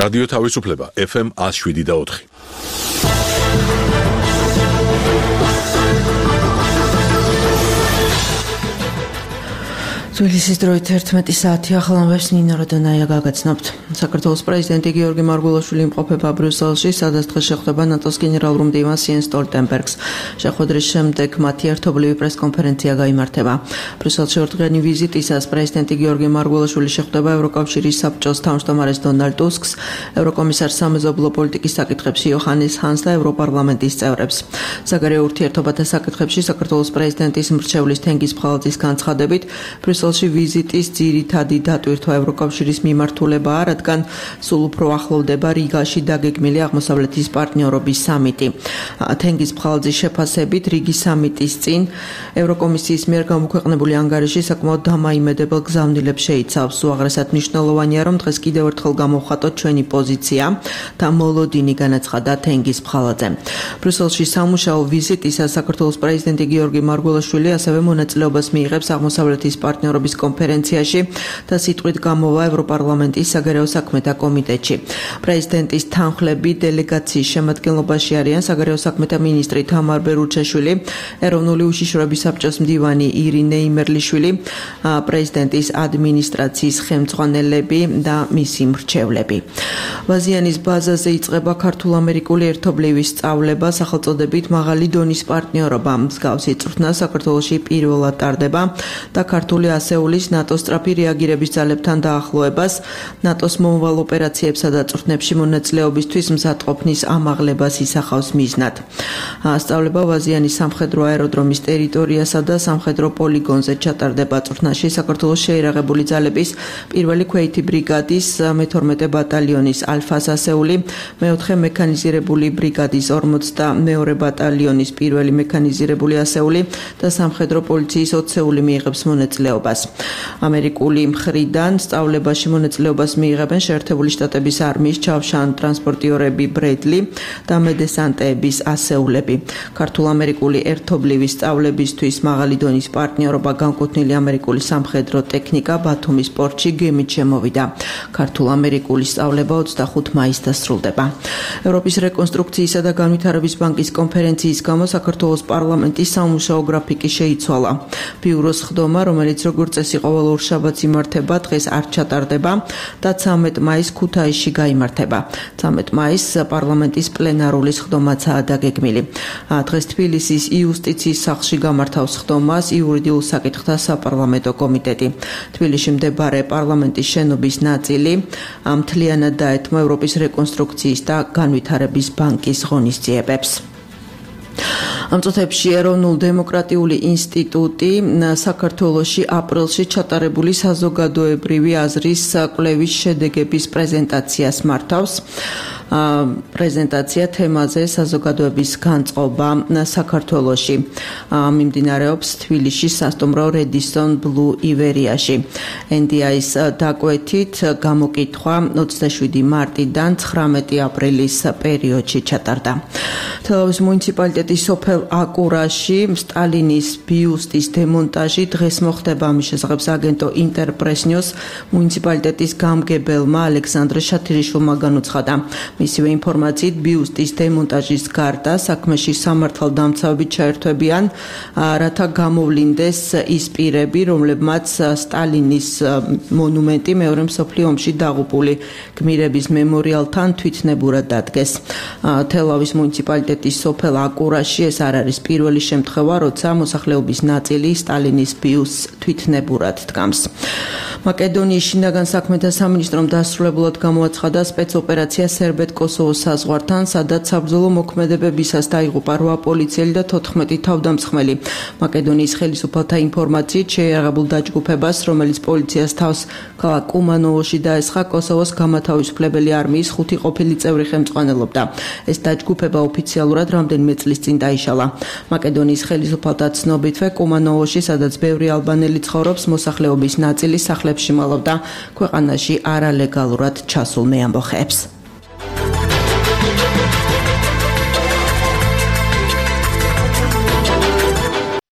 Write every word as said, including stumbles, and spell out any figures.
რადიო თავისუფლება ეფ ემ one oh seven და four. თბილისის დროით ერთმეტი საათი ახალამბებს ნინო როდონაია გაგაცნობთ. საქართველოს პრეზიდენტი გიორგი მარგველაშვილი იმყოფება ბრიუსელში, სადაც დღეს შეხვდება ნატოს გენერალურ მდივანს იენს სტოლტენბერგს. შეხვედრის შემდეგ მათი ერთობლივი პრესკონფერენცია გაიმართება. ბრიუსელში ორდღიანი ვიზიტისას პრეზიდენტი გიორგი მარგველაშვილი შეხვდება ევროკავშირის საბჭოს თავმჯდომარეს დონალდ ტუსკს, ევროკომისარს სამეზობლო პოლიტიკის საკითხებში იოჰანეს ჰანს და ევროპარლამენტის წევრებს. საგარეო ურთიერთობათა საკითხებში საქართველოს პრეზიდენტის მრჩევლის თენგიზ ფხალაძის განცხადებით, ბრიუსელში ვიზიტის ძირითადი დატვირთვა ევროკავშირის მიმართულებაა, რადგან სულ უფრო ახლოვდება რიგაში დაგეგმილი აღმოსავლეთის პარტნიორობის სამიტი. თენგიზ ფხალაძის შეფასებით, რიგის სამიტის წინ ევროკომისიის მიერ გამოქვეყნებული ანგარიში საკმაოდ დამაიმედებელ გზავნილებს შეიცავს. უაღრესად მნიშვნელოვანია, რომ დღეს კიდევ ერთხელ გამოვხატოთ ჩვენი პოზიცია და მოლოდინი, განაცხადა თენგიზ ფხალაძემ. ბრიუსელში სამუშაო ვიზიტისას საქართველოს პრეზიდენტი გიორგი მარგველაშვილი ასევე მონაწილეობას მიიღებს აღმოსავლეთის პარტნიორობის კონფერენციაში და სიტყვით გამოვა ევროპარლამენტის საგარეო საქმეთა კომიტეტში. პრეზიდენტის თანხლები დელეგაციის შემადგენლობაში არიან საგარეო საქმეთა მინისტრი თამარ ბერუჩაშვილი, ეროვნული უშიშროების საბჭოს მდივანი ირინე იმერლიშვილი, პრეზიდენტის ადმინისტრაციის ხელმძღვანელები და მისი მრჩევლები. ვაზიანის ბაზაზე იწყება ქართულ-ამერიკული ერთობლივი სწავლება სახელწოდებით მაღალი დონის პარტნიორობა. მსგავსი წვრთნა საქართველოში პირველად ტარდება და ქართული ასეულის ნატოს სწრაფი რეაგირების ძალებთან დაახლოებას, ნატოს მომავალ ოპერაციებსა და წვრთნებში მონაწილეობისთვის მზადყოფნის ამაღლებას ისახავს მიზნად. სწავლება ვაზიანის სამხედრო აეროდრომის ტერიტორიასა და სამხედრო პოლიგონზე ჩატარდება. წვრთნაში საქართველოს შეიარაღებული ძალების პირველი ქვეითი ბრიგადის მეთორმეტე ბატალიონის ალფას ასეული, მეოთხე მექანიზირებული ბრიგადის ორმოცდამეორე ბატალიონის პირველი მექანიზირებული ასეული და სამხედრო პოლიციის ოცეული მიიღებს მონაწილეობას. ამერიკული მხრიდან სწავლებაში მონაწილეობას მიიღებენ შეერთებული შტატების არმიის ჩავშან ტრანსპორტიორები ბრედლი და მედესანტეების ასეულები. ქართულ-ამერიკული ერთობლივი სწავლებისთვის მაღალი დონის პარტნიორობა განკუთვნილი ამერიკული სამხედრო ტექნიკა ბათუმის პორტში გემით შემოვიდა. ქართულ-ამერიკული სწავლება ოცდახუთი მაისს დასრულდება. ევროპის რეკონსტრუქციისა და განვითარების ბანკის კონფერენციის გამო საქართველოს პარლამენტის სამუშაო გრაფიკი შეიცვალა. ბიუროს ხდომა, რომელიც როგორც წესი ყოველ ორშაბათს იმართება, დღეს არ ჩატარდება და ცამეტ მაისს ქუთაისში გაიმართება. ცამეტ მაისს პარლამენტის პლენარული ხდომაცაა დაგეგმილი. დღეს თბილისის იუსტიციის სახლში გამართავს ხდომას იურიდიულ საკითხთა საპარლამენტო კომიტეტი. თბილისში მდებარე პარლამენტის შენობის ნაწილი მთლიანად დაეთმო ევროპის რეკონსტრუქციის და განვითარების ბანკის ღონისძიებებს. ამ წუთებში ეროვნულ-დემოკრატიული ინსტიტუტი საქართველოში აპრილში ჩატარებული საზოგადოებრივი აზრის კვლევის შედეგების პრეზენტაციას მართავს. პრეზენტაცია თემაზე საზოგადოების განწყობა საქართველოში მიმდინარეობს თბილისში სასტუმრო რედისონ ბლუ ივერიაში. ენ დი აის დაკვეთით გამოკითხვა ოცდაშვიდი მარტიდან ცხრამეტი აპრილის პერიოდში ჩატარდა. თელავის მუნიციპალიტეტის სოფელ აკურაში სტალინის ბიუსტის დემონტაჟი დღეს მოხდება. ამის შესახებ აგენტო ინტერპრესნიოს მუნიციპალიტეტის გამგებელმა ალექსანდრე შათირიშვილმა განუცხადა. მისივე ინფორმაციით ბიუსტის დემონტაჟის გარდა საქმეში სამართალდამცავები ჩაერთვებიან, რათა გამოვლინდეს ის პირები, რომლებმაც სტალინის მონუმენტი მეორე მსოფლიო ომში დაღუპული გმირების მემორიალთან თვითნებურად დადგეს. თელავის მუნიციპალიტეტის სოფელ აკურაში ეს არ არის პირველი შემთხვევა, როცა მოსახლეობის ნაწილი სტალინის ბიუსტს თვითნებურად დგამს. მაკედონიის შინაგან საქმეთა სამინისტრომ დასრულებულად გამოაცხადა სპეცოპერაცია სერბეთ-კოსოვოს საზღვართან, სადაც საბრძოლო მოქმედებებისას დაიღუპა რვა პოლიციელი და თოთხმეტი თავდამსხმელი. მაკედონიის ხელისუფალთა ინფორმაციით შეიარაღებულ დაჯგუფებას, რომელიც პოლიციას თავს ქალაქ კუმანოვოში დაესხა, კოსოვოს გამათავისუფლებელი არმიის ხუთი ყოფილი წევრი ხელმძღვანელობდა. ეს დაჯგუფება ოფიციალურად რამდენიმე წლის წინ დაიშალა. მაკედონიის ხელისუფალთა ცნობითვე კუმანოვოში, სადაც ბევრი ალბანელი ცხოვრობს, მოსახლეობის ნაწილი სახლებში მალავდა ქვეყანაში არალეგალურად ჩასულ მეამბოხეებს.